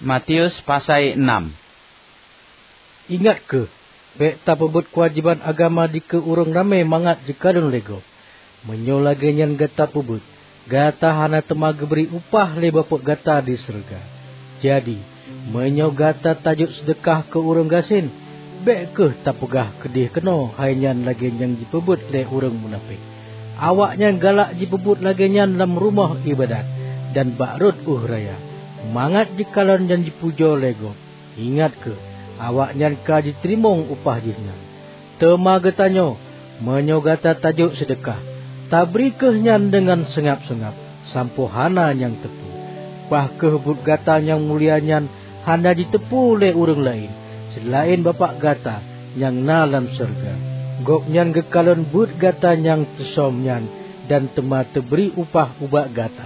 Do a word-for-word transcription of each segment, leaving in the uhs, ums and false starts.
Matius pasai enam. Ingat kheueh, bék tapeubuet keuwajéban agama dikeue ureuëng ramé mangat jikalon lé gob. Meunyoe lagée nyan gata peubuet, gata hana teuma geubri upah lé Bapak gata di syeuruga. Jadi, meunyoe gata tajok seudeukah keu ureuëng gasien, bék kheueh tapeugah keudeh keunoe hai nyan lagée nyang jipeubuet lé ureuëng munafék. Awaknyan galak jipeubuet lagée nyan lam rumoh iébadat dan bak rot ueh raya, mangat jikalon dan jipujoe lé gob. Ingat kheueh, awaknyan ka jiteurimong upah jih nyan. Teuma geutanyoe, meunyoe gata tajok seudeukah, tabri kheueh nyan deungon seungab-seungab, sampoe hana nyang teupeu. Bah kheueh buet gata nyang mulia nyan hana jiteupeu lé ureuëng laén, seulaén Bapak gata nyang na lam syeuruga. Gobnyan geukalon buet gata nyang teusöm nyan dan teuma teubri upah ubak gata.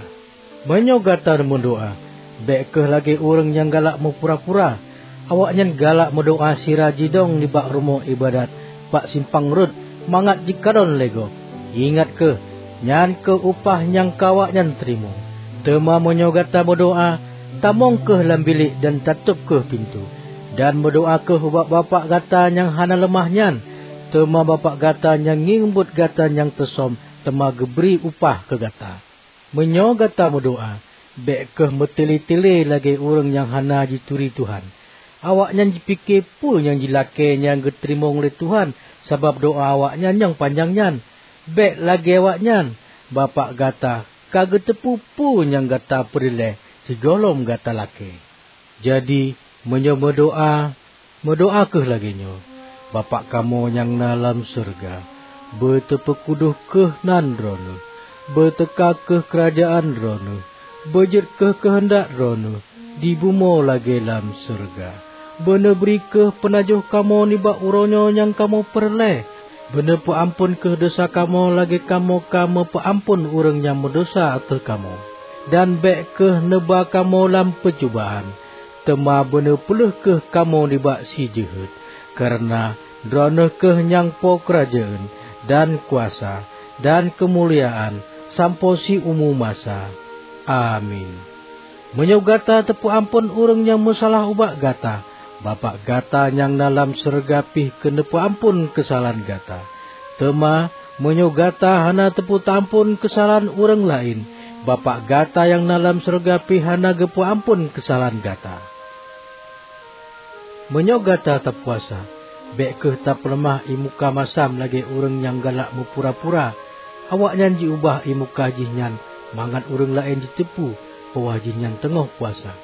Meunyoe gata meudoá, bék kheueh lagée ureuëng nyang galak meupura-pura. Awaknyan galak meudoá sira jidong nibak rumoh iébadat bak simpang rot mangat jikalon lé gob. Ingat kheueh, nyan kheueh upah nyang ka awaknyan teurimong. Teuma meunyoe gata meudoá, tamong kheueh lam bilék dan tatôb kheueh pintoe, dan meudoá kheueh ubak Bapak gata nyang hana leumah nyan. Teuma Bapak gata nyang ngieng buet gata nyang teusöm teuma geubri upah keu gata. Meunyoe gata meudoá, bék kheueh meutile-tile lagée ureuëng nyang hana jituri Tuhan. Awaknyan jipike peue nyang jilakée nyang geuteurimong lé Tuhan sabab doá awaknyan nyang panyang nyan. Bék lagée awaknyan, Bapak gata ka geuteupeue peue nyang gata peureulée sigohlom gata lakée. Jadi, meunyoe meudoá, meudoá kheueh lagée nyoe, 'Bapak kamoe nyang na lam syeuruga, beuteupeukudôh kheueh nan Droeneueh. Beuteuka kheueh keurajeuen Droeneueh. Beujeuet kheueh keuheundak Droeneueh, di bumoe lagée lam syeuruga. Beuneubri kheueh peunajoh kamoe nibak uroe nyoe nyang kamoe peureulée. Beuneupeuamphon kheueh desya kamoe lagée kamoe ka meupeuamphon ureuëng nyang meudesya ateueh kamoe. Dan bék kheueh neuba kamoe lam peucubaan, teuma beuneupeuleupah kheueh kamoe nibak si jeuhet, kareuna Droeneueh kheueh nyang po keurajeuen, dan kuasa, dan keumuliaan sampoe siumu masa. Amin. Meunyoe gata teupeuamphon ureuëng nyang meusalah ubak gata, Bapak gata nyang na lam syeuruga pih keuneupeuamphon keusalahan gata. Teuma, meunyoe gata hana teupeuteuamphon keusalahan ureuëng laén, Bapak gata nyang na lam syeuruga pih hana geupeuamphon keusalahan gata. Meunyoe gata tapuasa, bék kheueh tapeuleumah ié muka masam lagée ureuëng nyang galak meupura-pura. Awaknyan jiubah ié muka jih nyan mangat ureuëng laén jiteupeue bahwa jihnyan teungoh puasa.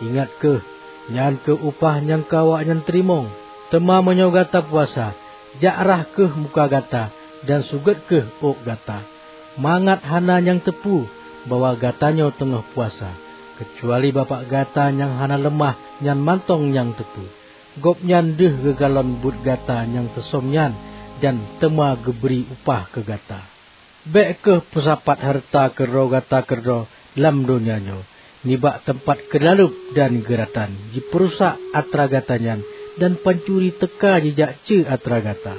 Ingat kheueh, nyan kheueh upah nyang ka awaknyan teurimong. Teuma meunyoe gata puasa, jak rhah kheueh muka gata dan sugét kheueh ôk gata, mangat hana nyang teupeue bahwa gatanyoe teungoh puasa, keucuali Bapak gata nyang hana leumah nyan mantong nyang teupeue. Gobnyan deuh geukalon buet gata nyang teusöm nyan dan teuma geubri upah keu gata. Bék kheueh peusapat hareuta keudroe gata keudroe lam donya nyoe, nibak teumpat keulaleueb dan geuratan jipeurusak atra gata nyan, dan pancuri teuka jijak cue atra gata.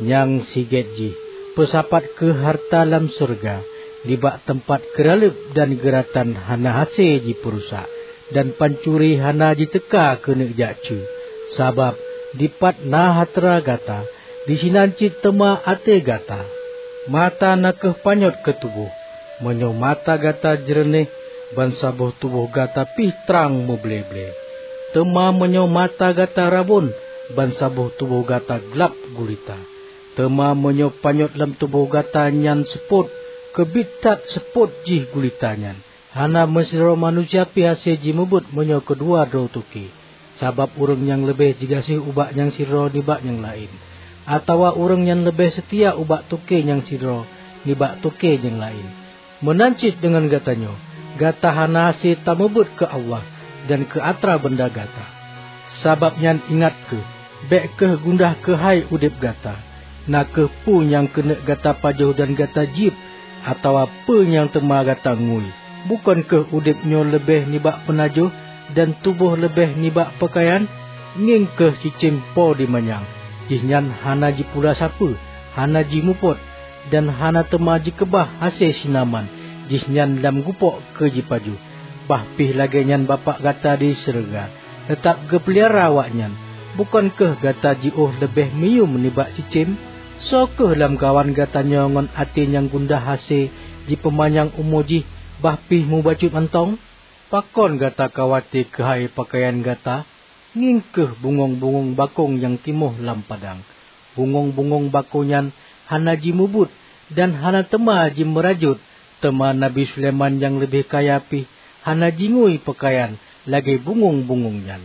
Nyang sigét jih, peusapat kheueh hareuta lam syeuruga, nibak teumpat keulaleueb dan geuratan hana hase jipeurusak, dan pancuri hana jiteuka keuneuk jak cue. Sabab dipat na atra gata, disinan cit teuma até gata. Mata na kheueh panyöt keu tuboh. Meunyoe mata gata jeureunéh, bansaboh tuboh gata pih trang meuble-ble. Teuma meunyoe mata gata rabon, bansaboh tuboh gata glab gulita. Teuma meunyoe panyöt lam tuboh gata nyan seupôt, keubiet that seupôt jih gulita nyan. Hana meusidroe manusia pih hase jimubuet meunyoe keudua droe toke. Sabab ureuëng nyang leubeh jigaséh ubak nyang sidroe nibak nyang laén, atawa ureuëng nyang leubeh seutia ubak toke nyang sidroe nibak toke nyang laén. Meunan cit deungon gata nyoe, gata hana hase tamubuet keu Allah dan keu atra banda gata. Sabab nyan ingat kheueh, bék kheueh gundah keuhai udeb gata, na kheueh peue nyang keuneuk gata pajoh dan gata jieb, atawa peue nyang teuma gata ngui. Bukon kheueh udeb nyoe leubeh nibak peunajoh dan tuboh leubeh nibak peukayan? Ngieng kheueh cicém po di manyang, jihnyan hana jipula sapeue, hana jimupot, dan hana teuma jikeubah hase sinaman, jihnyan lam gupok keu jipajoh. Bah pih lagée nyan Bapak gata di syeuruga teutab geupeulihara awaknyan. Bukon kheueh gata jiôh leubeh meuyuem nibak cicém? Soe kheueh lamkawan gata nyoe ngon até nyang gundah hase jipeumanyang umu jih, bah pih mubacut mantong? Pakon gata khawate keuhai peukayan gata? Ngieng kheueh bungöng-bungöng bakong nyang timoh lam padang. Bungöng-bungöng bakong nyan hana jimubuet dan hana teuma jimeurajot, teuma Nabi Sulaiman nyang leubeh kaya pih hana jingui peukayan lagée bungöng-bungöng nyan.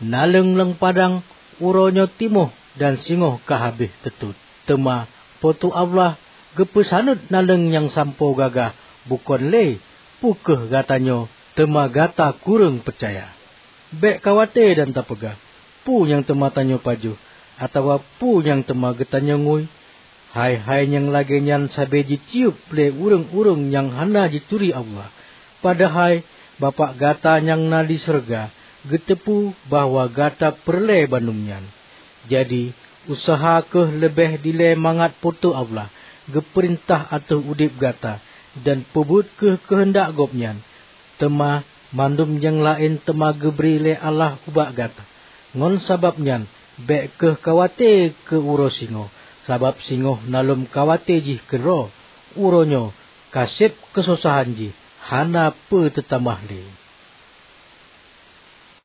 Naleueng lam padang uroe nyoe timoh dan singoh ka habéh teutot. Teuma Po teu Allah geupeusaneut naleueng nyang sampoe gagah, bukon lé peu kheueh gata nyoe, teuma gata kureueng peucaya. Bék khawate dan tapeugah, 'Peue nyang teuma tanyoe pajoh?' atawa 'Peue nyang teuma geutanyoe ngui?' Hai-hai nyang lagée nyan sabe jitiyeub lé ureuëng-ureuëng nyang hana jituri Allah. Padahai Bapak gata nyang na di syeuruga geuteupeue bahwa gata peureulée bandum nyan. Jadi, useuha kheueh leubeh dilée mangat Po teu Allah geupeurintah ateueh udeb gata, dan peubuet kheueh keuheundak Gobnyan. Teuma mandum nyang laén teuma geubri lé Allah ubak gata. Ngon sabab nyan, bék kheueh khawate keu uroe singoh, sabab singoh na lom khawate jih keudroe. Uroe nyoe ka seb keusosahan jih, hana peue teutamah lé.